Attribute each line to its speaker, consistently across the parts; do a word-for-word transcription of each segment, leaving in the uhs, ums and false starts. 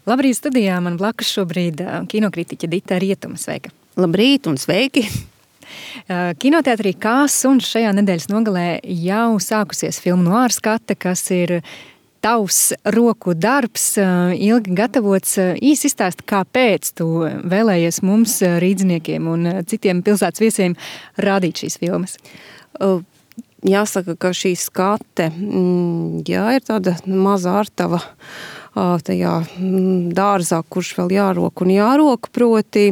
Speaker 1: Labrīt, studijā man blakus šobrīd kinokritiķe Dita Rietuma. Sveika!
Speaker 2: Labrīt un sveiki!
Speaker 1: Kinoteātrī Kās un šajā nedēļas nogalē jau sākusies filmu Noāra skate, kas ir tavs roku darbs, ilgi gatavots. Īsi izstāsti, kāpēc tu vēlējies mums, rīdziniekiem un citiem pilsētas viesiem, rādīt šīs filmas?
Speaker 2: Jāsaka, ka šī skate, jā, ir tāda maza ārtava tajā dārzā, kurš vēl jārok un jārok, proti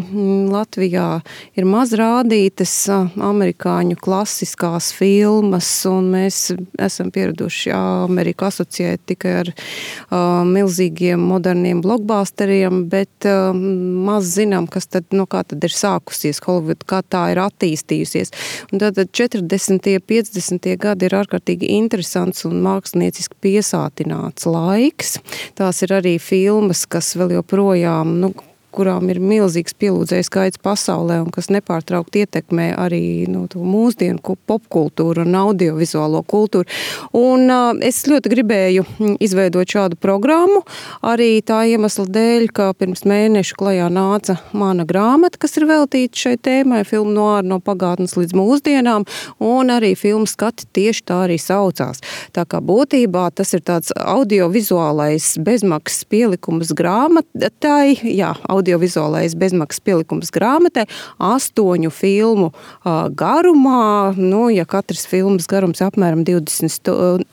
Speaker 2: Latvijā ir maz rādītas amerikāņu klasiskās filmas, un mēs esam pieraduši Ameriku asociēt tikai ar uh, milzīgiem moderniem blockbusteriem, bet uh, maz zinām, kas tad, no kā tad ir sākusies Hollywood, kā tā ir attīstījusies. Un tad četrdesmitie, piecdesmitie gadi ir ārkārtīgi interesants un mākslinieciski piesātināts laiks. Tā Tās ir arī filmas, kas vēl joprojām, nu, kurām ir milzīgs pielūdzēju skaits pasaulē un kas nepārtraukti ietekmē arī nu, mūsdienu popkultūru un audiovizuālo kultūru. Un uh, es ļoti gribēju izveidot šādu programmu, arī tā iemesla dēļ, ka pirms mēneša klajā nāca mana grāmata, kas ir veltīta šai tēmai, filmu Noāra no pagātnes līdz mūsdienām, un arī filmu skati tieši tā arī saucās. Tā kā būtībā tas ir tāds audiovizuālais bezmaksas pielikums grāmatai, jā, audiovizuālais bezmaksas pielikums grāmatai, astoņu filmu uh, garumā, nu, ja katras filmas garums apmēram divdesmit stundas,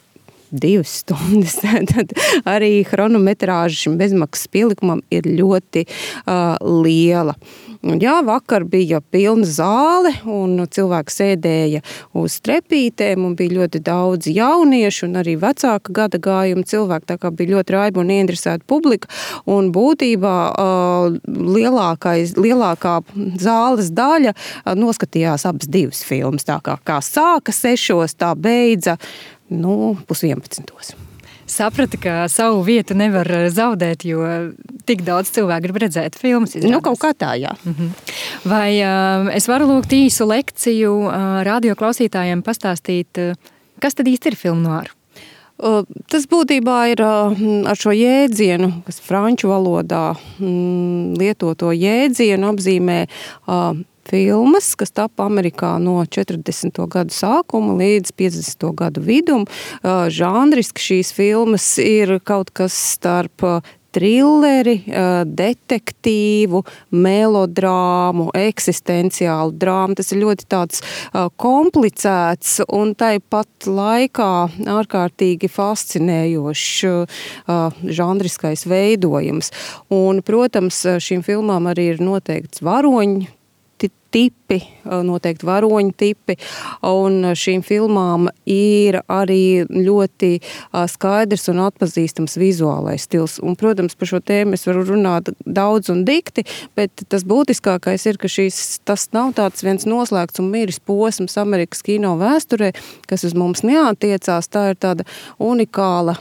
Speaker 2: divas stundas, tad arī chronometrāža šim bezmaksas pielikumam ir ļoti uh, liela. Un jā, vakar bija pilna zāle un cilvēki sēdēja uz trepītēm un bija ļoti daudz jauniešu un arī vecāka gada gājuma cilvēki, tā kā bija ļoti raiba un ieinteresēta publika. Un būtībā uh, lielākais, lielākā zāles daļa uh, noskatījās abas divas filmas. Tā kā, kā sāka sešos, tā beidza nu, pus vienpadsmitos.
Speaker 1: Saprati, ka savu vietu nevar zaudēt, jo tik daudz cilvēku grib redzēt filmas. Izrādās.
Speaker 2: Nu, kaut kā tā, jā.
Speaker 1: Mhm. Vai uh, es varu lūgt īsu lekciju uh, radio klausītājiem pastāstīt, uh, kas tad īsti ir filmu Noāra?
Speaker 2: Uh, tas būtībā ir uh, ar šo jēdzienu, kas franču valodā mm, lietoto jēdzienu apzīmē uh, filmas, kas tapa Amerikā no četrdesmito gadu sākuma līdz piecdesmito gadu vidum. Žanriski šīs filmas ir kaut kas starp trilleri, detektīvu, melodrāmu, eksistenciālu drāmu. Tas ir ļoti tāds komplicēts un tāpat laikā ārkārtīgi fascinējošs žanriskais veidojums. Un, protams, šīm filmām arī ir noteikts varoņu tipi, noteikti varoņu tipi, un šīm filmām ir arī ļoti skaidrs un atpazīstams vizuālais stils. Un, protams, par šo tēmu es varu runāt daudz un dikti, bet tas būtiskākais ir, ka šīs, tas nav tāds viens noslēgts un miris posms Amerikas kino vēsturē, kas uz mums neatiecās. Tā ir tāda unikāla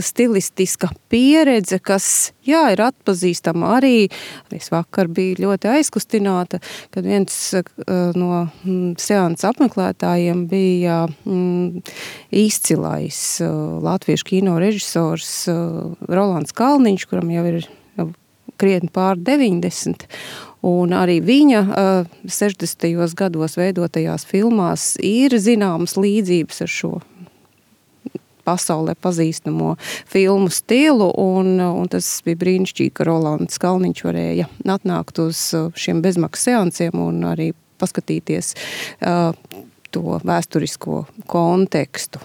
Speaker 2: stilistiska pieredze, kas, jā, ir atpazīstama arī. Es vakar biju ļoti aizkustināta, kad viens no seansa apmeklētājiem bija mm, izcilais latviešu kino režisors Rolands Kalniņš, kuram jau ir jau krietni pār deviņdesmit. Un arī viņa sešdesmitajos gados veidotajās filmās ir zināmas līdzības ar šo pasaulē pazīstamo filmu stilu, un, un tas bija brīnišķīgi, ka Rolands Kalniņš varēja atnākt uz šiem bezmaksas seansiem un arī paskatīties uh, to vēsturisko kontekstu.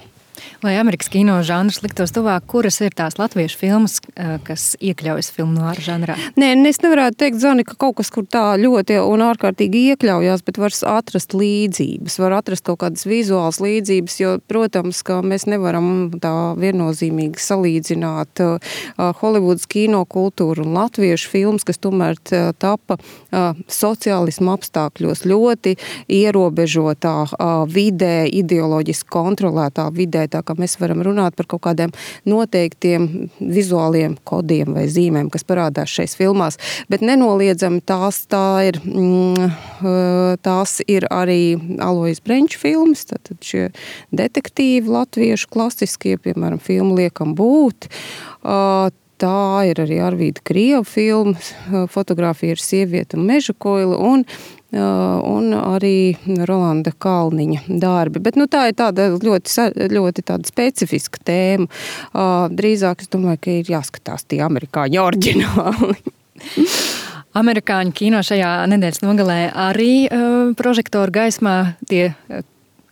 Speaker 1: Lai Amerikas kino žanrs liktos tuvāk, kuras ir tās latviešu filmas, kas iekļaujas filmu Noāra žanrā?
Speaker 2: Nē, es nevarētu teikt, Zani, ka kaut kas, kur tā ļoti un ārkārtīgi iekļaujās, bet var atrast līdzības, var atrast kaut kādas vizuālas līdzības, jo, protams, ka mēs nevaram tā viennozīmīgi salīdzināt uh, Hollywoods kino kultūru un latviešu filmas, kas tomēr uh, tapa uh, sociālismu apstākļos ļoti ierobežotā uh, vidē, ideoloģiski kontrolētā vidē, tā kā mēs varam runāt par kaut kādiem noteiktiem vizuāliem kodiem vai zīmēm, kas parādās šais filmās, bet nenoliedzami tās, tā ir, mm, tās ir arī Alojas Brenča filmas, tātad šie detektīvi latviešu klasiskie, piemēram, filmu Liekam būt. tā ir arī Arvīda Krieva filma, fotografija ir Sieviete un meža koila, un un arī Rolanda Kalniņa darbi. Bet nu, tā ir tāda ļoti, ļoti tāda specifiska tēma. Drīzāk es domāju, ka ir jāskatās tie amerikāņu oriģināli.
Speaker 1: Amerikāņu kino šajā nedēļas nogalē arī uh, prožektoru gaismā tie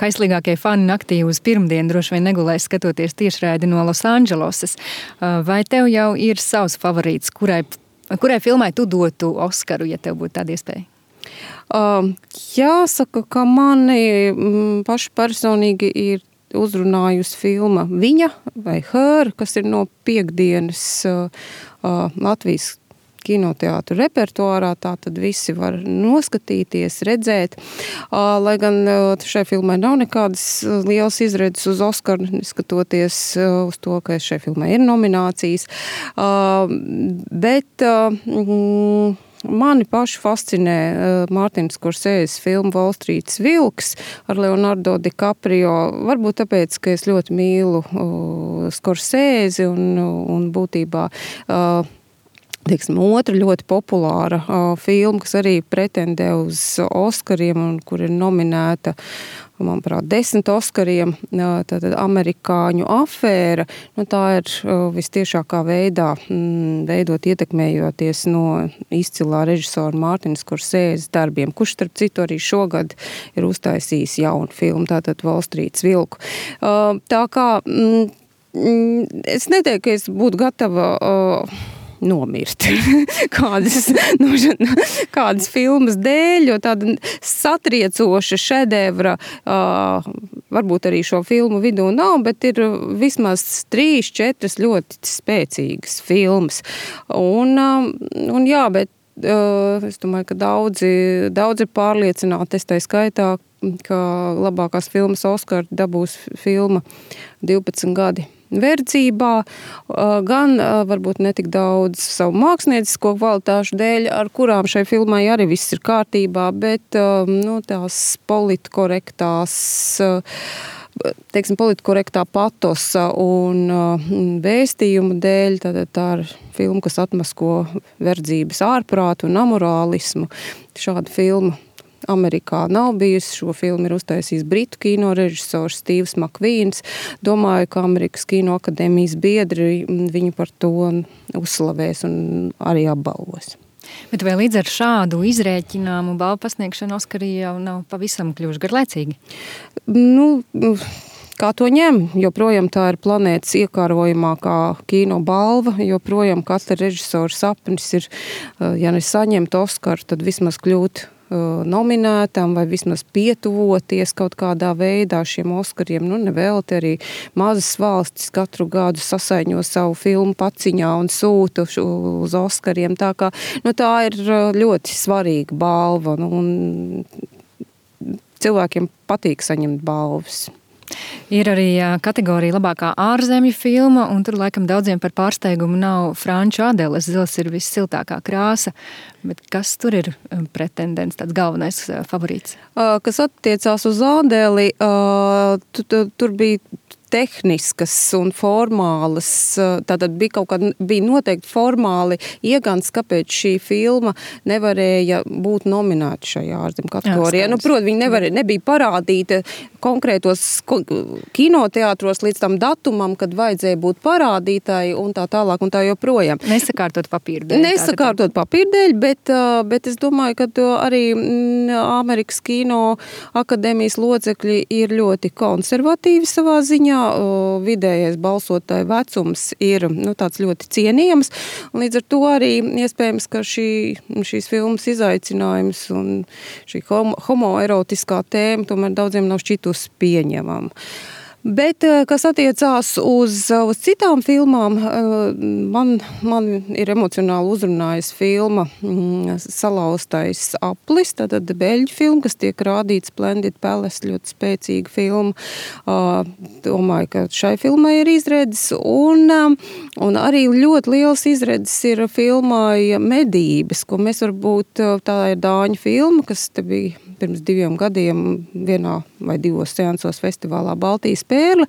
Speaker 1: kaislīgākie fani naktī uz pirmdienu droši vien negulēs skatoties tiešraidi no Losandželosas. Uh, vai tev jau ir savs favorīts, kurai, kurai filmai tu dotu Oskaru, ja tev būtu tāda iespēja?
Speaker 2: Uh, jāsaka, ka mani mm, paši personīgi ir uzrunājusi filma Viņa vai Her, kas ir no piekdienas uh, uh, Latvijas kinoteātru repertuārā, tā tad visi var noskatīties, redzēt. Uh, lai gan uh, šai filmai nav nekādas lielas izredzes uz Oskaru, neskatoties uh, uz to, ka šai filmai ir nominācijas. Uh, bet uh, mm, Mani paši fascinē uh, Mārtiņa Skorsēzes filma Wall Streets vilks ar Leonardo DiCaprio. Varbūt tāpēc, ka es ļoti mīlu uh, Skorsēzi un, un būtībā uh, teiksim, otra ļoti populāra uh, filma, kas arī pretendē uz Oskariem un kur ir nominēta, manuprāt, desmit Oskariem, uh, tātad Amerikāņu afēra. Nu, tā ir uh, vistiešākā veidā mm, veidot ietekmējoties no izcilā režisora Mārtiņa Skorsēzes darbiem, kurš, starp citu, arī šogad ir uztaisījis jaunu filmu, tātad Wall Streets vilku. Uh, tā kā mm, mm, es neteiktu, ka es būtu gatava uh, nomirt kādas, nu, kādas filmas dēļ, jo tāda satriecoša šedevra uh, varbūt arī šo filmu vidū nav, bet ir vismaz trīs, četras ļoti spēcīgas filmas. Un, uh, un jā, bet uh, es domāju, ka daudzi, daudzi ir pārliecināti, es tai skaitā, ka labākās filmas Oskar dabūs filma divpadsmit gadi verdzībā, gan varbūt netik daudz savu māksliniecisko kvalitāšu dēļ, ar kurām šai filmai arī viss ir kārtībā, bet nu, tās politkorektās, teiksim, politkorektā patosa un vēstījumu dēļ, tad tā ir filma, kas atmasko verdzības ārprātu un amorālismu. Šāda filma Amerikā nav bijusi. Šo filmu ir uztaisījis britu kino režisors Stīvs Makvīns. Domāju, ka Amerikas Kino akadēmijas biedri viņu par to uzslavēs un arī apbalvos.
Speaker 1: Bet vai līdz ar šādu izrēķināmu balvu pasniegšanu Oskarī jau nav pavisam kļuvuši garlaicīgi?
Speaker 2: Nu, kā to ņem? Joprojām tā ir planētas iekārojamākā kino balva, joprojām katra režisora sapnis ir, ja ne saņemt Oskaru, tad vismaz kļūt nominētam vai vismaz pietuvoties kaut kādā veidā šiem Oskariem. Nu, nevēlti arī mazas valstis katru gadu sasaiņo savu filmu paciņā un sūta uz Oskariem. Tā kā, nu, tā ir ļoti svarīga balva, nu, un cilvēkiem patīk saņemt balvas.
Speaker 1: Ir arī kategorija labākā ārzemju filma, un tur laikam daudziem par pārsteigumu nav franču Adeles zils ir vissiltākā krāsa, bet kas tur ir pretendents, tāds galvenais favorīts?
Speaker 2: Kas attiecās uz Adeli, tur bija tehniskas un formālas, tātad bija kaut kāda, bija noteikti formāli iegans, kāpēc šī filma nevarēja būt nominēta šajā ārzemju kategorijā. Nu, proti, viņa nevarēja, nebija parādīta konkrētos kinoteātros līdz tam datumam, kad vajadzēja būt parādītāji un tā tālāk un tā joprojām.
Speaker 1: Nesakārtot papīru dēļ.
Speaker 2: Nesakārtot papīru dēļ, bet, bet es domāju, ka arī Amerikas Kino akadēmijas locekļi ir ļoti konservatīvi savā ziņā. Vidējais balsotāju vecums ir, nu, tāds ļoti cienījams, un līdz ar to arī iespējams, ka šī, šīs filmas izaicinājums un šī homo, homoerotiskā tēma tomēr daudziem nav šķitus pieņemama. Bet, kas attiecās uz, uz citām filmām, man, man ir emocionāli uzrunājis filma Salauztais aplis, tātad beļģu filma, kas tiek rādīts Splendid Palace, ļoti spēcīga filma. Domāju, ka šai filmai ir izredzes, un, un arī ļoti liels izredzes ir filmai Medības, ko mēs varbūt, tā ir dāņu filma, kas te bija pirms diviem gadiem vienā vai divos seansos festivālā Baltijas pērle,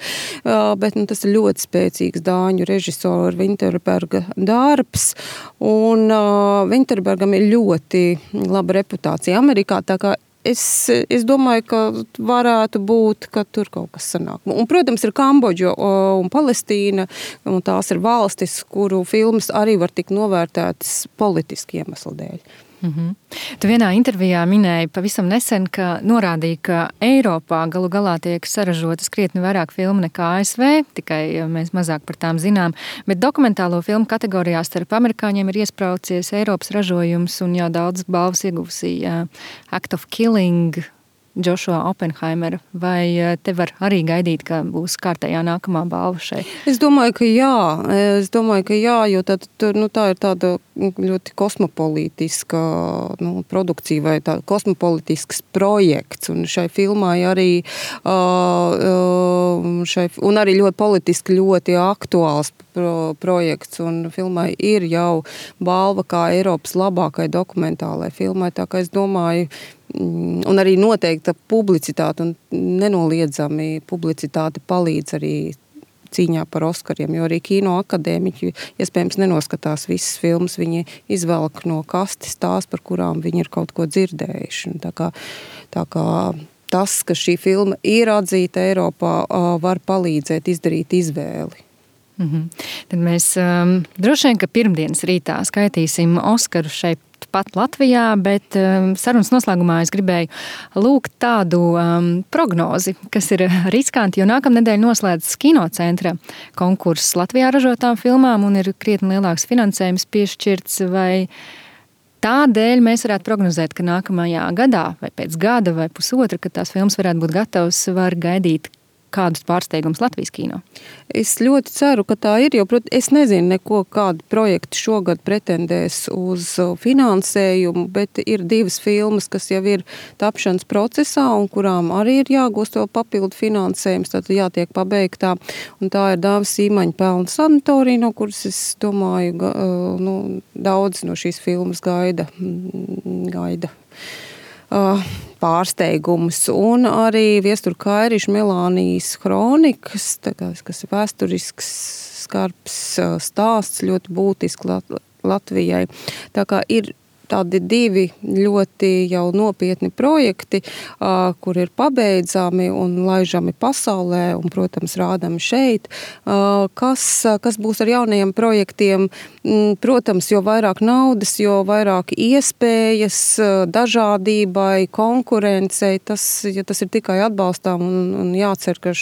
Speaker 2: bet nu, tas ir ļoti spēcīgs dāņu režisora Vinterberga darbs, un uh, Vinterbergam ir ļoti laba reputācija Amerikā, tā kā Es, es domāju, ka varētu būt, ka tur kaut kas sanāk. Un, protams, ir Kambodža un Palestīna, un tās ir valstis, kuru filmas arī var tikt novērtētas politiski iemeslu dēļ.
Speaker 1: Mm-hmm. Tu vienā intervijā minēji pavisam nesen, ka norādīja, ka Eiropā galu galā tiek saražotas krietni vairāk filmu nekā A S V, tikai mēs mazāk par tām zinām, bet dokumentālo filmu kategorijā starp amerikāņiem ir iespraucies Eiropas ražojums un jau daudz balvas ieguvusī uh, Act of Killing, Joshua Oppenheimera, vai te var arī gaidīt, ka būs kārtējā nākamā balva šeit?
Speaker 2: Es domāju, ka jā. Es domāju, ka jā, jo tā, nu, tā ir tāda ļoti kosmopolitiska nu, produkcija vai tā kosmopolitisks projekts, un šai filmai arī uh, šai, un arī ļoti politiski ļoti aktuāls pro, projekts, un filmai ir jau balva kā Eiropas labākai dokumentālai filmai, tā kā es domāju, un arī noteikta publicitāte un nenoliedzami publicitāte palīdz arī cīņā par Oskariem, jo arī kino akadēmiķi iespējams nenoskatās visas filmas, viņi izvelk no kastes tās, par kurām viņi ir kaut ko dzirdējuši. Un tā kā, tā kā tas, ka šī filma ir atzīta Eiropā, var palīdzēt izdarīt izvēli.
Speaker 1: Mm-hmm. Tad mēs um, droši vien, ka pirmdienas rītā skaitīsim Oskaru šeit pat Latvijā, bet um, sarunas noslēgumā es gribēju lūgt tādu um, prognozi, kas ir riskanti, jo nākamnedēļ noslēdzas Kinocentra konkurss Latvijā ražotām filmām un ir krietni lielāks finansējums piešķirts, vai tādēļ mēs varētu prognozēt, ka nākamajā gadā vai pēc gada vai pusotra, kad tās filmas varētu būt gatavas, var gaidīt kādus pārsteigumus Latvijas kino?
Speaker 2: Es ļoti ceru, ka tā ir, jo prot, es nezinu neko, kādi projekti šogad pretendēs uz finansējumu, bet ir divas filmas, kas jau ir tapšanas procesā un kurām arī ir jāgūst vēl papildu finansējums, tad jātiek pabeigtā. Un tā ir Dāvis Sīmaņa pelna sanatorija, no kuras es domāju, ga, nu, daudz no šīs filmas gaida. gaida. pārsteigumus, un arī Viestura Kairiša Melānijas kronikas, kas ir vēsturisks, skarbs stāsts, ļoti būtiski Latvijai. Tā kā ir tādi divi ļoti jau nopietni projekti, kur ir pabeidzami un laižami pasaulē un, protams, rādami šeit. Kas, kas būs ar jaunajiem projektiem? Protams, jo vairāk naudas, jo vairāk iespējas dažādībai, konkurencei, tas, ja tas ir tikai atbalstām un, un jācer, ka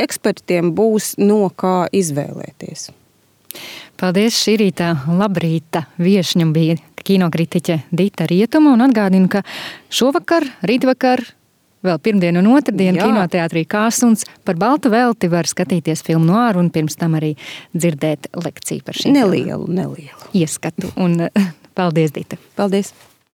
Speaker 2: ekspertiem būs no kā izvēlēties.
Speaker 1: Paldies, šī rīta labrīta viešņa bija kinokritiķe Dita Rietuma, un atgādinu, ka šovakar, rītvakar, vēl pirmdien un otrdien Kinoteātrī Kāsuns par baltu velti var skatīties filmu Noāru un pirms tam arī dzirdēt lekciju par šīm.
Speaker 2: Nelielu, nelielu.
Speaker 1: Ieskatu. Un paldies, Dita.
Speaker 2: Paldies.